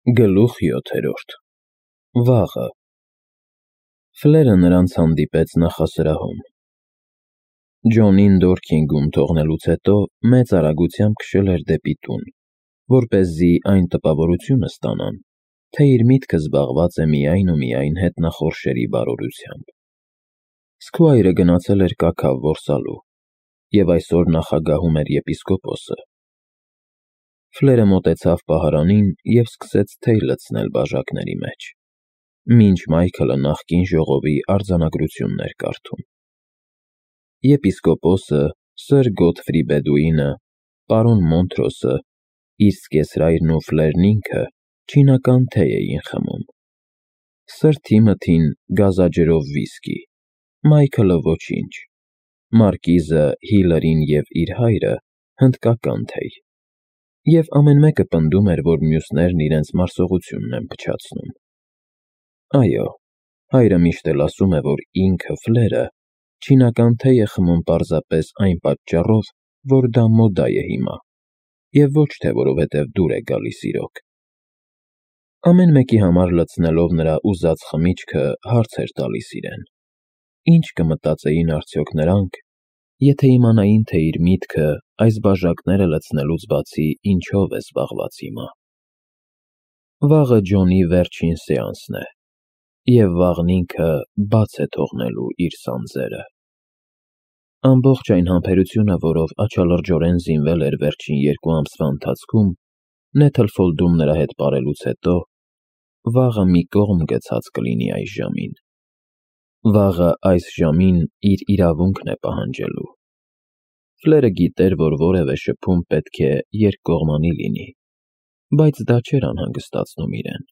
Գլուխ 7. Վաղը Ֆլերը նրանց հանդիպեց նախասրահում։ Ջոնին Դորքինգում թողնելուց հետո մեծ արագությամբ քշել էր դեպի տուն, որպեսզի այն տպավորությունը ստանան, թե իր միտքը զբաղված է միայն ու միայն հետնախորշերի բարօրությամբ։ Սքվայրը գնացել էր կաքավ որսալու, և այսօր նախագահում էր եպիսկոպոսը։ Ֆլերը մոտեցավ պահարանին և սկսեց թեյ լցնել բաժակների մեջ, մինչ Մայքլը նախկին ժողովի արձանագրությունն էր կարդում։ Եպիսկոպոսը, սըր Գոթֆրի Բեդուինը, պարոն Մոնթրոսը, իր զկեսրայրն ու Ֆլերն ինքը չինական թեյ էին խմում։ Սըր Թիմոթին գազաջրով վիսկի, Մայքլը ոչինչ, Մարկիզը, Հիլարին և իր հայրը հնդկական թեյ, և ամեն մեկը պնդում էր, որ մյուսներն իրենց մարսողությունն են փչացնում։ Այո, հայրը միշտ էլ ասում է, որ ինքը Ֆլերը չինական թեյ է խմում պարզապես այն պատճառով, որ դա մոդա է հիմա, և ոչ թե որովհետև դուր է գալիս իրոք։ Ամեն մեկի համար լցնելով նրա ուզած խմիչքը հարց էր տալիս իրեն. ինչ կմտածեին արդյոք նրանք, եթե իմանային, թե իր միտքը այս բաժակները լցնելուց բացի ինչով է զբաղված հիմա։ Վաղը Ջոնի վերջին սեանսն է, և վաղն ինքը բաց է թողնելու իր սանձերը։ Ամբողջ այն համբերությունը, որով աչալրջորեն զինվել էր վերջին 2 ամսվա ընթացքում, Նեթլֆոլդում նրա հետ պարելուց հետո, վաղը մի կողմ գցած կլինի այս ժամին։ Վաղը այս ժամին իր իրավունքն է պահանջելու։ Ֆլերը գիտեր, որ որևէ շփում պետք է երկկողմանի լինի, բայց դա չէր անհանգստացնում իրեն։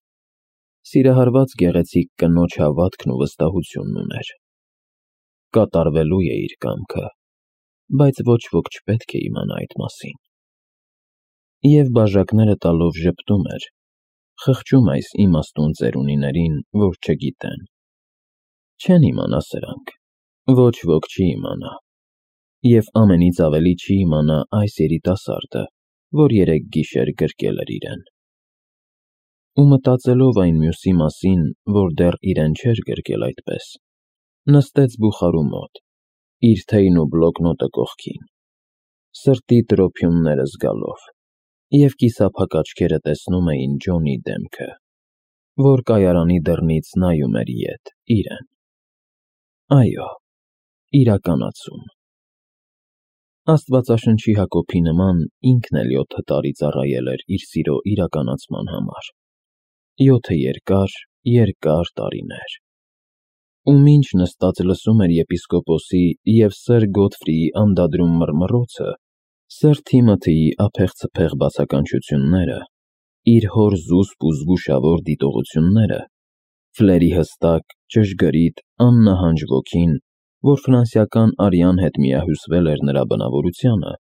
Սիրահարված գեղեցիկ կնոջ հավատքն ու վստահությունն ուներ։ Կատարվելու է իր կամքը, բայց ոչ ոք չպետք է իմանա այդ մասին։ Եվ բաժակները տալով ժպտում էր, խղճում այս իմաստուն ծերունիներին, որ չգիտեն։ Չեն իմանա սրանք, ոչ ոք չի իմանա, և ամենից ավելի չի իմանա այս երիտասարդը, որ երեկ գիշեր գրկել էր իրեն։ Ու մտածելով այն մյուսի մասին, որ դեռ իրեն չէր գրկել այդպես, նստեց բուխարու մոտ, իր թեյն ու բլոկնոտը կողքին, սրտի տրոփյունները զգալով, և կիսափակ աչքերը տեսնում էին Ջոնի դեմքը, որ կայարանի դռնից նայում էր ետ իրեն։ Այո, իրականացում։ Աստվածաշնչի Հակոբի նման ինքն էլ 7 տարի ծառայել էր իր սիրո իրականացման համար, 7 երկար տարիներ։ Ու մինչ նստած լսում էր եպիսկոպոսի և սըր Գոթֆրիի անդադրում մռմռոցը, սըր Թիմոթիի ափեղ-ցփեղ բացականչությունները, իր հոր զուսպ ու զգուշավոր դիտողությունները, Ֆլերի հստակ, ճշգրիտ, աննահանջ ոգին, որ ֆրանսիական արյան հետ միահյուսվել էր նրա բնավորությանը,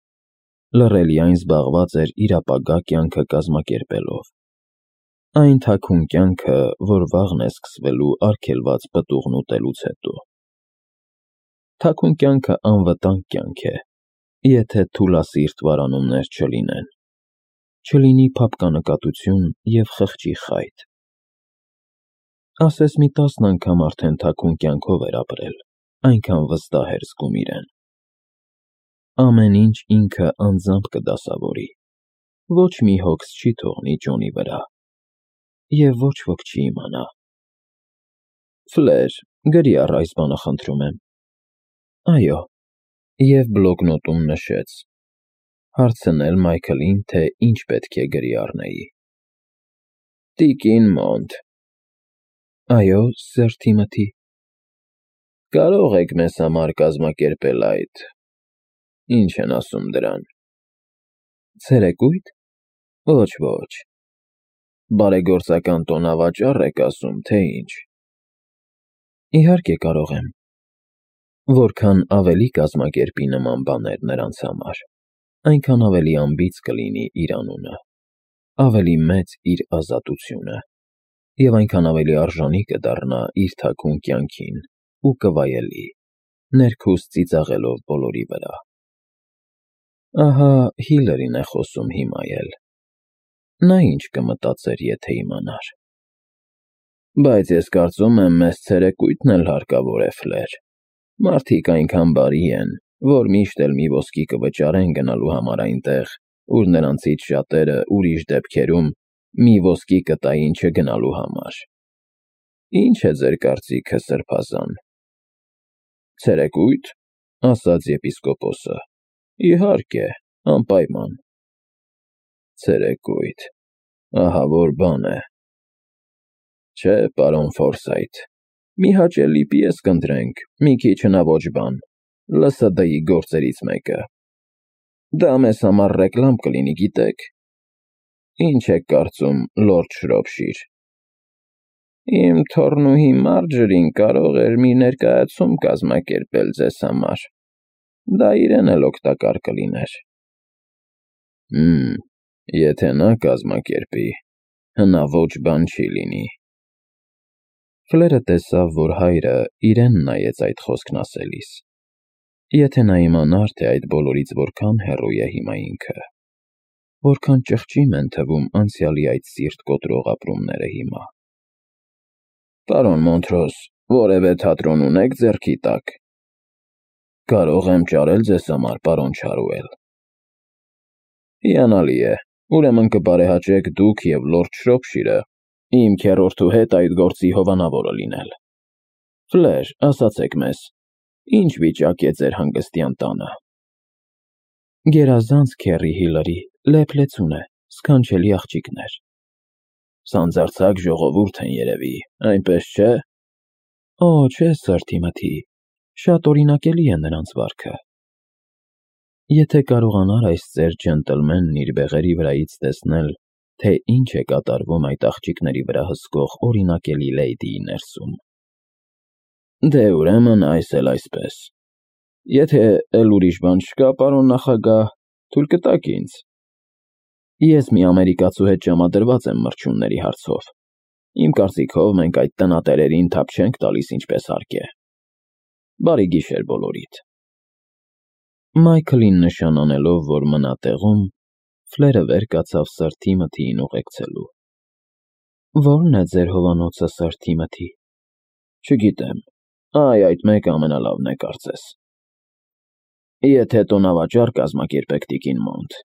լռելիայն զբաղված էր իր ապագա կյանքը կազմակերպելով։ Այն թաքուն կյանքը, որ վաղն է սկսվելու արգելված պտուղն ուտելուց հետո։ Թաքուն կյանքը անվտանգ կյանք է, եթե թուլասիրտ վարանումներ չլինեն, չլինի փափկանկատություն և խղճի խայտ։ Ասես մի 10 անգամ արդեն թաքուն կյանքով էր ապրել, այնքան վստահ էր զգում իրեն։ Ամեն ինչ ինքը անձամբ կդասավորի, ոչ մի հոգս չի թողնի Ջոնի վրա, և ոչ ոք չի իմանա։ Ֆլեր, գրի առ այս բանը, խնդրում եմ։ Այո, և բլոկնոտում նշեց. հարցնել Մայքլին, թե ինչ պետք է գրի առնեի։ Տիկին Մոնտ։ Այո, սըր Թիմոթի։ Կարող եք մեզ համար կազմակերպել այդ… Ինչ են ասում դրան… Ցերեկույթ։ Ոչ, բարեգործական տոնավաճառ եք ասում, թե ինչ։ Իհարկե կարող եմ։ Որքան ավելի կազմակերպի նման բաներ նրանց համար, այնքան ավելի անբիծ կլինի իր անունը, ավելի մեծ իր ազատությունը, և այնքան ավելի արժանի կդառնա իր թաքուն կյանքին ու կվայելի, ներքուստ ծիծաղելով բոլորի վրա։ Ահա Հիլարին է խոսում հիմա էլ։ նա ինչ կմտածեր, եթե իմանար։ Բայց ես կարծում եմ, մեզ ցերեկույթն էլ հարկավոր է, Ֆլեր։ Մարդիկ այնքան բարի են, որ միշտ էլ մի ոսկի կվճարեն գնալու համար այնտեղ, ուր նրանցից շատերը ուրիշ դեպքերում մի ոսկի կտային չգնալու համար։ Ինչ է ձեր կարծիքը, Սրբազան։ Ցերեկույթ, ասաց եպիսկոպոսը։ Իհարկե, անպայման։ Ցերեկույթ, ահա որ բան է։ Չէ, պարոն Ֆորսայթ, մի հաճելի պիես կընտրենք, մի քիչ հնաոճ բան, ԼՍԴ-ի գործերից մեկը։ Դա մեզ համար ռեկլամ կլինի, գիտեք։ Ինչ եք կարծում, լորդ Շրոփշիր։ Իմ թոռնուհի Մարջերին կարող էր մի ներկայացում կազմակերպել ձեզ համար։ Դա իրեն էլ օգտակար կլիներ։ Եթե նա կազմակերպի, հնաոճ բան չի լինի։ Ֆլերը տեսավ, որ հայրը իրեն նայեց այդ խոսքն ասելիս։ Եթե նա իմանար, թե այդ բոլորից որքան հեռու է հիմա ինքը, որքան ճղճիմ են թվում անցյալի այդ սիրտ կոտրող ապրումները հիմա։ Պարոն Մոնտրոս, որևէ թատրոն ունեք ձեռքի տակ։ Կարող եմ ճարել ձեզ համար, պարոն Չարուել։ Հիանալի է, ուրեմն կբարեհաճեք դուք և լորդ Շրոփշիրը իմ քեռորդու հետ այդ գործի հովանավորը լինել։ Ֆլեր, ասացեք մեզ, ինչ վիճակ է ձեր հանգստյան տանը։ Գերազանց քեռի Հիլարի, լեփլեցուն է, սքանչելի աղջիկներ։ Սանձարձակ ժողովուրդ են երևի, այնպես չէ։ Օ, չէ, սըր Թիմոթի, շատ օրինակելի է նրանց վարքը։ Եթե կարողանար այս ծեր ջենտլմենն իր բեղերի վրայից տեսնել, թե ինչ է կատարվում այդ աղջիկների վրա հսկող օրինակելի լեյդիի ներսում։ Դե ուրեմն այս էլ այսպես։ Եթե էլ ուրիշ բան չկա, պարոն նախագահ, թույլ կտաք ինձ։ Ես մի ամերիկացու հետ ժամադրված եմ մրջյունների հարցով։ Իմ կարծիքով մենք այդ տնատերերին թափ չենք տալիս ինչպես հարկ է։ Բարի գիշեր բոլորիդ։ Մայքլին նշան անելով, որ մնա տեղում, Ֆլերը վեր կացավ սըր Թիմոթիին ուղեկցելու։ Ո՞րն է ձեր հովանոցը, սըր Թիմոթի։ Չգիտեմ, այդ մեկը ամենալավն է կարծես։ Եթե տոնավաճառ կազմակերպեք տիկին Մոնտ,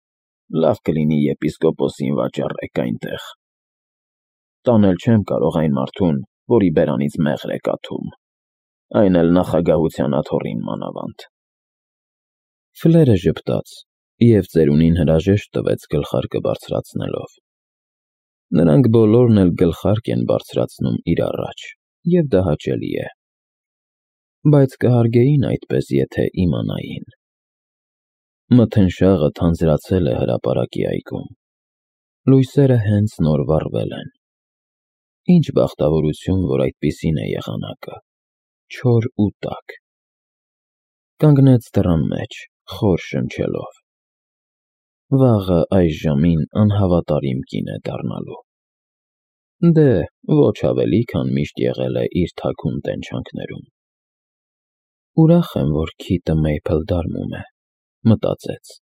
լավ կլինի եպիսկոպոսին վաճառեք այնտեղ։ Տանել չեմ կարող այն մարդուն, որի բերանից մեղր է կաթում, այն էլ նախագահության աթոռին մանավանդ։ Ֆլերը ժպտաց և ծերունին հրաժեշտ տվեց գլխարկը բարձրացնելով։ Նրանք բոլորն էլ գլխարկ են բարձրացնում իր առաջ, և դա հաճելի է։ Բայց կհարգեին այդպես, եթե իմանային։ Մթնշաղը թանձրացել է հրապարակի այգում։ Լույսերը հենց նոր վառվել են։ Ինչ բախտավորություն, որ այդպիսին է եղանակը, չոր ու տաք։ Կանգնեց դռան մեջ, խոր շնչելով։ Վաղը այս ժամին անհավատարիմ կին է դառնալու։ Դե, ոչ ավելի, քան միշտ եղել է իր թաքուն տենչանքներում։ Ուրախ եմ, որ քիթը Մեյփլ դարմում է, մտածեց։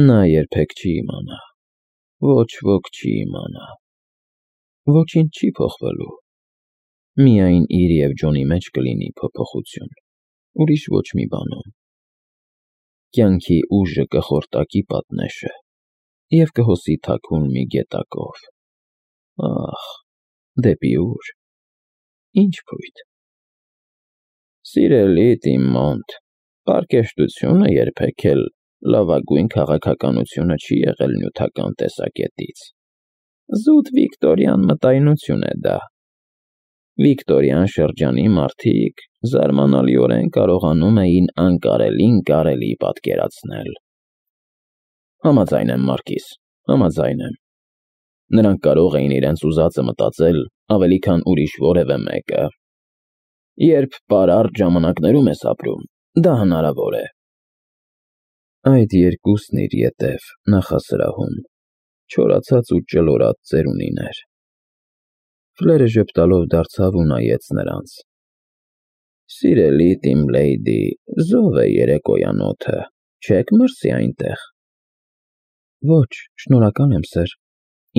Նա երբեք չի իմանա, ոչ ոք չի իմանա։ Ոչինչ չի փոխվելու։ Միայն իր և Ջոնի մեջ կլինի փոփոխություն, ուրիշ ոչ մի բանում։ Կյանքի ուժը կխորտակի պատնեշը և կհոսի թաքուն մի գետակով։ Ախ, դեպի ուր, ինչ փույթ։ Սիրելի Տիմ Մոնտ, պարկեշտությունը երբեք էլ լավագույն քաղաքականությունը չի եղել նյութական տեսակետից։ Զուտ վիկտորյան մտայնություն է դա։ Վիկտորյան շրջանի մարդիկ զարմանալիորեն կարողանում էին անկարելին կարելի պատկերացնել։ Համաձայն եմ, Մարկիս, համաձայն եմ։ Նրանք կարող էին իրենց ուզածը մտածել ավելի քան ուրիշ որևէ մեկը։ Երբ պարարտ ժամանակներում ես ապրում, դա հնարավոր է։ Այդ երկուսն իր ետև նախասրահում չորացած ու ճլորած ծերունիներ։ Ֆլերը ժպտալով դարձավ ու նայեց նրանց։ Սիրելի Տիմ Լեյդի, զով է երեկոյան օդը, չեք մրսի այնտեղ։ Ոչ, շնորհակալ եմ, սըր,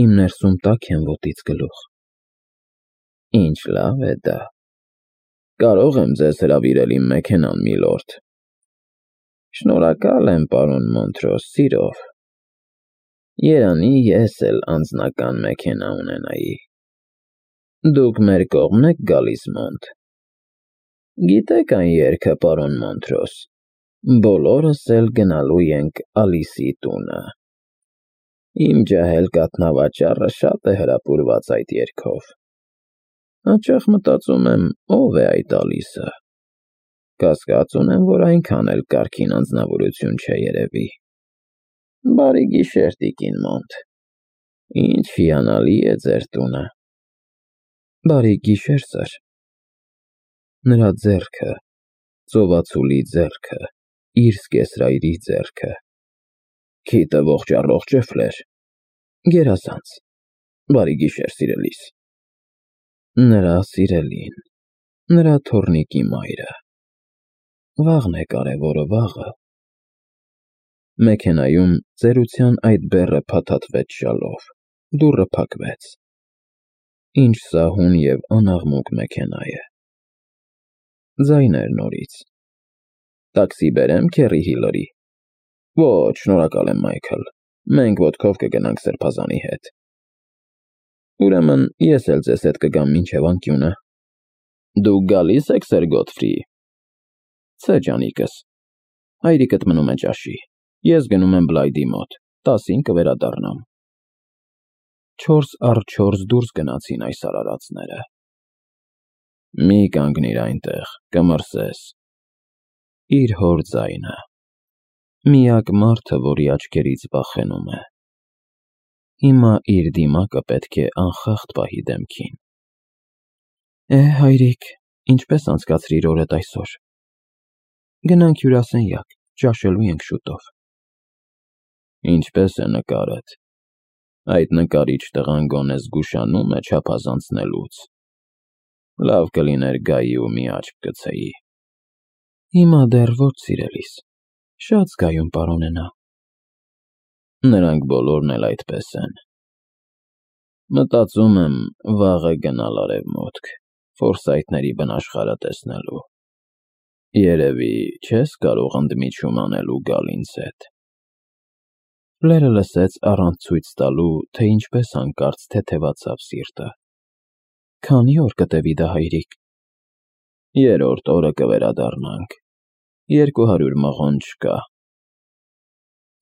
իմ ներսում տաք եմ ոտից գլուխ։ Ինչ լավ է դա։ Կարող եմ ձեզ հրավիրել իմ մեքենան, միլորդ։ Շնորհակալ եմ, պարոն Մոնտրոս, սիրով։ Երանի ես էլ անձնական մեքենա ունենայի։ Դուք մեր կողմն եք գալիս, Մոնտ։ Գիտեք այն երգը, պարոն Մոնտրոս, բոլորս էլ գնալու ենք Ալիսի տունը։ Իմ ջահել կաթնավաճառը շատ է հրապուրված այդ երգով։ Հաճախ մտածում եմ, ով է այդ Ալիսը։ Կասկած ունեմ, որ այնքան էլ կարգին անձնավորություն չէ երևի։ Բարի գիշեր, տիկին Մոնտ։ Ինչ հիանալի է ձեր տունը։ Բարի գիշեր, սըր։ Նրա ձեռքը, ծովածուլի ձեռքը, իր սկեսրայրի ձեռքը։ Քիթը ողջ-առողջ է, Ֆլեր։ Գերազանց։ Բարի գիշեր, սիրելիս։ Նրա սիրելին, նրա թոռնիկի մայրը։ Վաղն է կարևորը, վաղը։ Մեքենայում ծերության այդ բեռը փաթաթվեց շալով, դուռը փակվեց։ Ինչ սահուն և անաղմուկ մեքենա է։ Ձայներ նորից։ Տաքսի բերեմ, Քերի Հիլարի։ Ոչ, շնորհակալ եմ, Մայքլ։ Մենք ոտքով կգնանք սրբազանի հետ։ Ուրեմն ես էլ ձեզ հետ կգամ մինչև անկյունը։ Դուք գալի՞ս եք, սըր Գոթֆրի։ Չէ, ջանիկս։ Հայրիկդ մնում է ճաշի։ Ես գնում եմ Բլայդի մոտ, 10-ին կվերադառնամ։ 4 առ 4 դուրս գնացին այս արարածները։ Մի կանգնիր այնտեղ, կմրսես։ Իր հոր ձայնը։ Միակ մարդը, որի աչքերից վախենում է։ Հիմա իր դիմակը պետք է անխախտ պահի դեմքին։ Հայրիկ, ինչպես անցկացրիր օրդ այսօր։ Գնանք հյուրասենյակ, ճաշելու ենք շուտով։ Ինչպես է նկարդ։ Այդ նկարիչ տղան գոնե զգուշանում է չափազանցնելուց։ Լավ կլիներ գայի ու մի աչք գցեի։ Հիմա դեռ ոչ, սիրելիս, շատ զգայուն պարոն է նա։ Նրանք բոլորն էլ այդպես են։ Մտածում եմ վաղը գնալ արևմուտք, ֆորսայթների բնաշխարհը տեսնելու։ Երևի չես կարող ընդմիջում անել ու գալ ինձ հետ։ Ֆլերը լսեց առանց ցույց տալու, թե ինչպես հանկարծ թեթևացավ սիրտը։ Քանի օր կտևի դա, հայրիկ։ 3-րդ օրը կվերադառնանք։ 200 մղոն չկա։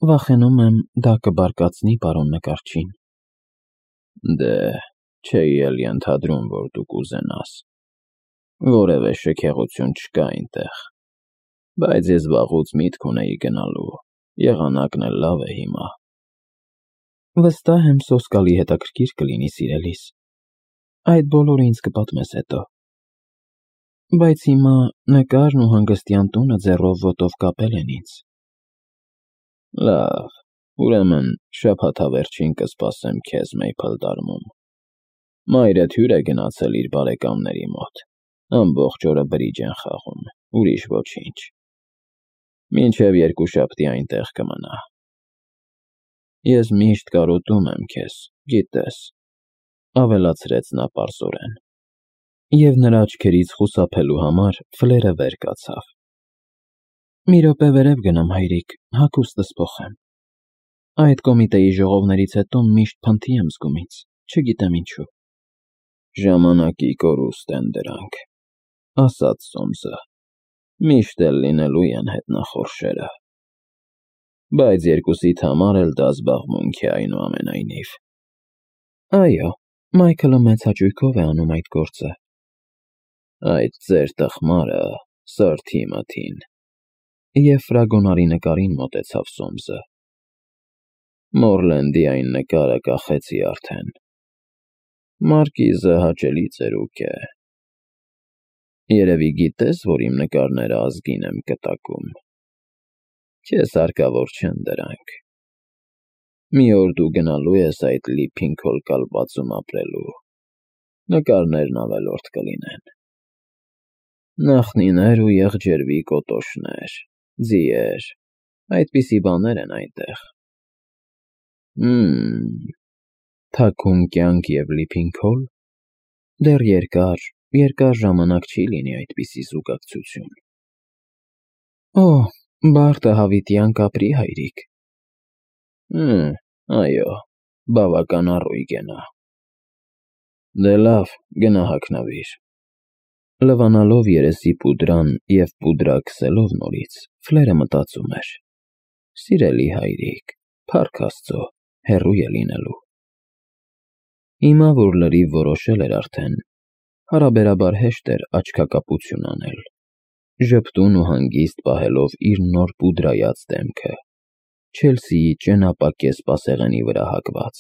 Վախենում եմ, դա կբարկացնի պարոն նկարչին։ Դե, չէի էլ ենթադրում, որ դու կուզենաս։ Որևէ շքեղություն չկա այնտեղ։ Բայց ես վաղուց միտք ունեի գնալու, եղանակն էլ լավ է հիմա։ Վստահ եմ սոսկալի հետաքրքիր կլինի, սիրելիս։ Այդ բոլորը ինձ կպատմես հետո։ Բայց հիմա նկարն ու հանգստյան տունը ձեռով ոտով կապել են ինձ։ Լավ, ուրեմն շաբաթավերջին կսպասեմ քեզ Մեյփլ Դարմում։ Մայրդ հյուր է գնացել իր բարեկամների մոտ։ Ամբողջ օրը բրիջ են խաղում, ուրիշ ոչինչ։ Մինչև երկուշաբթի այնտեղ կմնա։ Ես միշտ կարոտում եմ քեզ, գիտես, ավելացրեց նա պարզորեն։ Եվ նրա աչքերից խուսափելու համար Ֆլերը վեր կացավ։ Մի րոպե վերև գնամ, հայրիկ, հագուստս փոխեմ։ Այդ կոմիտեի ժողովներից հետո միշտ փնթի եմ զգում ինձ, չգիտեմ ինչու։ Ժամանակի կորուստ են դրանք, ասաց Սոմսը։ Միշտ էլ լինելու են հետնախորշերը։ Բայց երկուսիդ համար էլ դա զբաղմունք է այնուամենայնիվ։ Այո, Մայքլը մեծ հաճույքով է անում այդ գործը։ Այդ ձեր տխմարը, սըր Թիմոթին։ Եվ ֆրագոնարի նկարին մոտեցավ Սոմսը։ Մորլենդի այն նկարը կախեցի արդեն։ Մարկիզը հաճելի ծերուկ է։ Երևի գիտես, որ իմ նկարները ազգին եմ կտակում։ Քեզ հարկավոր չեն դրանք։ Մի օր դու գնալու ես այդ լիփին-քոլ կալվածում ապրելու։ Նկարներն ավելորդ կլինեն։ Նախնիներ ու եղջերվի կոտոշներ, ձիեր, այդպիսի բաներ են այնտեղ։ թաքուն կյանք և լիփին քոլ, դեռ երկար ժամանակ չի լինի այդպիսի զուգակցություն։ Օ, Բարտը հավիտյան կապրի, հայրիկ։ Այո, բավական առույգ է նա։ Դե լավ, գնա հագնվիր։ Լվանալով երեսի պուդրան և պուդրա քսելով նորից, Ֆլերը մտածում էր. սիրելի հայրիկ, փառք Աստծո, հեռու է լինելու։ Հիմա, որ լրիվ որոշել էր արդեն, հարաբերաբար հեշտ էր աչքակապություն անել, ժպտուն ու հանգիստ պահելով իր նոր պուդրայած դեմքը, Չելսիի ճենապակե սպասեղենի վրա հագված։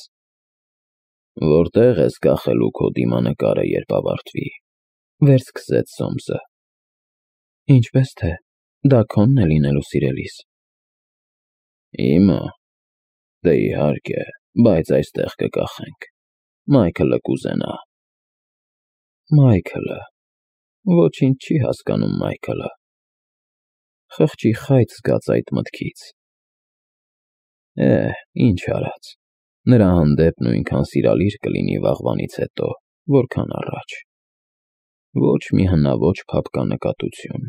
Որտե՞ղ ես կախելու քո դիմանկարը, երբ ավարտվի, վերսկսեց Սոմսը։ Ինչպես թե, դա քոնն է լինելու, սիրելիս։ Իմը, դե իհարկե, բայց այստեղ կկախենք, Մայքլը կուզենա։ Մայքլը, ոչինչ չի հասկանում Մայքլը։ Խղճի խայծ զգաց այդ մտքից։ Ինչ արած, նրա հանդեպ նույնքան սիրալիր կլինի վաղվանից հետո, որքան առաջ։ Ոչ մի հնաոճ փափկա նկատություն։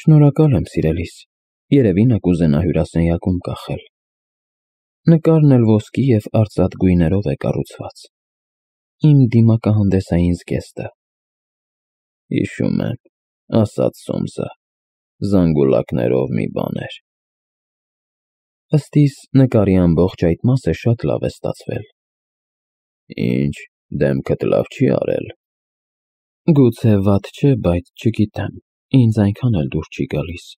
Շնորհակալ եմ, սիրելիս, երևի նա կուզենա հյուրասենյակում կախել։ Նկարն էլ ոսկի և արծաթ գույներով է կառուցված։ Իմ դիմակահանդեսային զգեստը։ Հիշում եմ, ասաց Սոմսը, զանգուլակներով մի բան էր։ Ըստ իս, նկարի ամբողջ այդ մասը շատ լավ է ստացվել։ Ինչ, դեմքդ լավ չի արել։ Գուցե վատ չէ, բայց չգիտեմ, ինձ այնքան էլ դուր չի գալիս։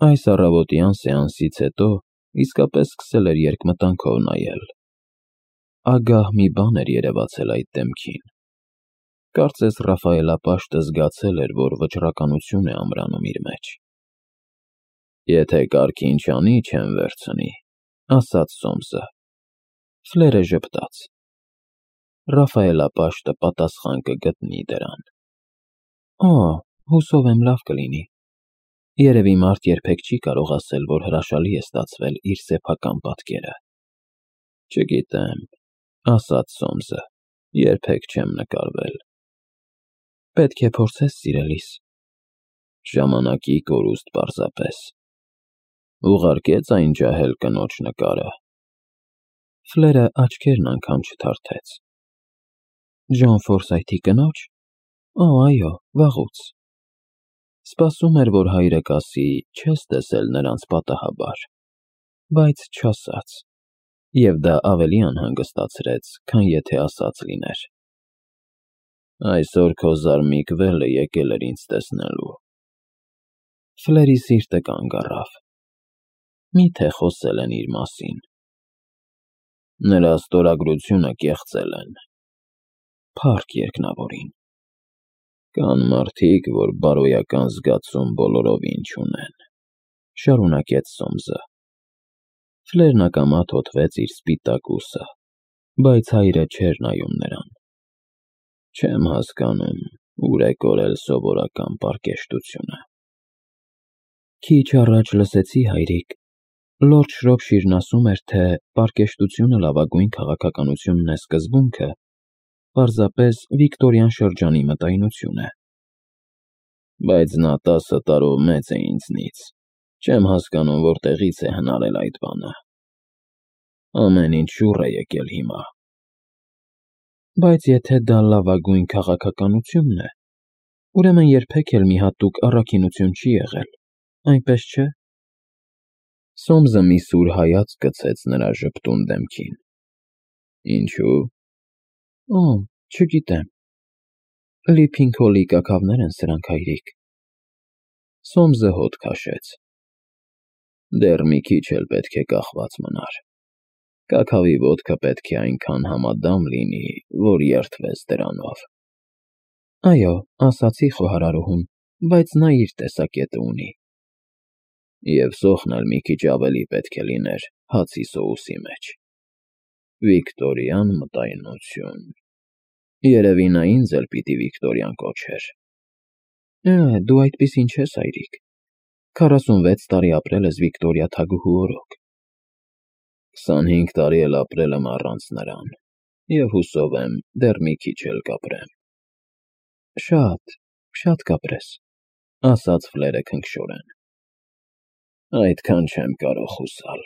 Այս առավոտյան սեանսից հետո իսկապես սկսել էր երկմտանքով նայել։ Ագահ մի բան էր երևացել այդ դեմքին։ Կարծես Ռաֆայելապաշտը զգացել էր, որ վճռականություն է ամրանում իր մեջ։ Եթե կարգին չանի, չեմ վերցնի, ասաց Սոմսը։ Ֆլերը ժպտաց։ Ռաֆայելապաշտը պատասխան կգտնի դրան։ Հուսով եմ լավ կլինի։ Երևի մարդ երբեք չի կարող ասել, որ հրաշալի է ստացվել իր սեփական պատկերը։ Չգիտեմ, ասաց Սոմսը, երբեք չեմ նկարվել։ Պետք է փորձես, սիրելիս։ Ժամանակի կորուստ պարզապես։ Ուղարկեց այն ջահել կնոջ նկարը։ Ֆլերը աչքերն անգամ չթարթեց։ Ջոն Ֆորսայթի կնոջ։ Այո, վաղուց։ Սպասում էր, որ հայրը կասի, չես տեսել նրանց պատահաբար, բայց չասաց, և դա ավելի անհանգստացրեց, քան եթե ասած լիներ։ Այսօր քո զարմիկ վելը եկել էր ինձ տեսնելու։ Ֆլերի սիրտը կանգ առավ։ Միթե խոսել են իր մասին։ Նրա ստորագրությունը կեղծել են։ Փառք երկնավորին։ Կան մարդիկ, որ բարոյական զգացում բոլորովին չունեն, շարունակեց Սոմսը։ Ֆլերն ակամա թոթվեց իր սպիտակ ուսը, բայց հայրը չէր նայում նրան։ Չեմ հասկանում, ուր է կորել սովորական պարկեշտությունը։ Քիչ առաջ լսեցի, հայրիկ, Լորդ Շրոփշիրն ասում էր, թե պարկեշտությունը լավագույն քաղաքականությունն է սկզբունքը, պարզապես վիկտորյան շրջանի մտայնություն է։ Բայց նա 10 տարով մեծ է ինձնից, չեմ հասկանում, որտեղից է հնարել այդ բանը։ Ամեն ինչ շուռ է եկել հիմա։ Բայց եթե դա լավագույն քաղաքականությունն է, ուրեմն երբեք էլ մի հատուկ առաքինություն չի եղել, այնպես չէ։ Սոմսը մի սուր հայացք գցեց նրա ժպտուն դեմքին։ Ինչու՞։ Չգիտեմ։ Լիփին քոլի կաքավներ են սրանք, հայրիկ։ Սոմսը հոտ քաշեց։ Դեռ մի քիչ էլ պետք է կախված մնար։ Կաքավի ոտքը պետք է այնքան համադամ լինի, որ երդվես դրանով։ Այո, ասացի խոհարարուհուն, բայց նա իր տեսակետը ունի։ Եվ սոխն էլ մի քիչ ավելի պետք է լիներ հացի սոուսի մեջ։ Վիկտորյան մտայնություն։ Երևի նա ինձ էլ պիտի Վիկտորյան կոչեր։ Դու այդպիսին չես, հայրիկ։ 46 տարի ապրել ես Վիկտորիա թագուհու օրոք։ 25 տարի էլ ապրել եմ առանց նրան, և հուսով եմ դեռ մի քիչ էլ կապրեմ։ Շատ կապրես, ասաց Ֆլերը քնքշորեն։ Այդքան չեմ կարող հուսալ։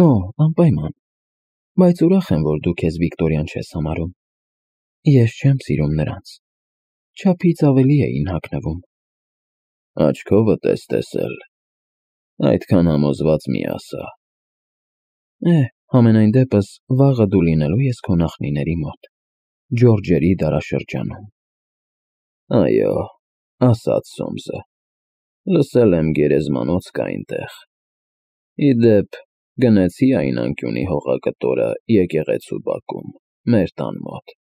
Օ, անպայման, բայց ուրախ եմ, որ դու քեզ Վիկտորիան չես համարում։ Ես չեմ սիրում նրանց, չափից ավելի էին հագնվում։ Աչքովդ ես տեսել, այդքան համոզված մի ասա։ Համենայն դեպս վաղը դու լինելու ես քո նախնիների մոտ, Ջորջերի դարաշրջանում։ Այո, ասաց Սոմսը, լսել եմ գերեզմանոց կա այնտեղ։ Ի դեպ, գնեցի այն անկյունի հողակտորը եկեղեցու բակում, մեր տան մոտ։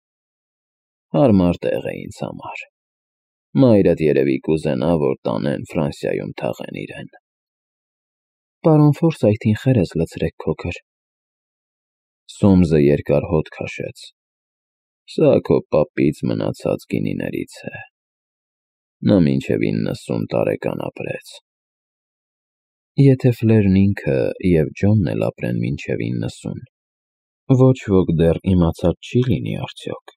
Հարմար տեղ է ինձ համար։ Մայրդ երևի կուզենա, որ տանեն Ֆրանսիայում թաղեն իրեն։ Պարոն Ֆորսայթին խերես լցրեք քոքր։ Սոմսը երկար հոտ քաշեց։ Սա քո պապից մնացած գինիներից է։ Նա մինչև 90 տարեկան ապրեց։ Եթե Ֆլերն ինքը և Ջոնն էլ ապրեն մինչև 90, ոչ ոք դեռ իմացած չի լինի արդյոք։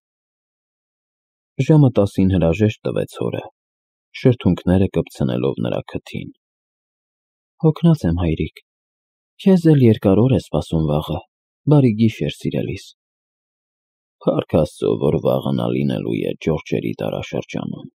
Ժամը 10-ին հրաժեշտ տվեց հորը, շրթունքները կպցնելով նրա քթին։ Հոգնած եմ, հայրիկ, քեզ էլ երկար օր է սպասում վաղը, բարի գիշեր, սիրելիս։ Փառք Աստծո, որ վաղը նա լինելու է Ջորջերի դարաշրջանում։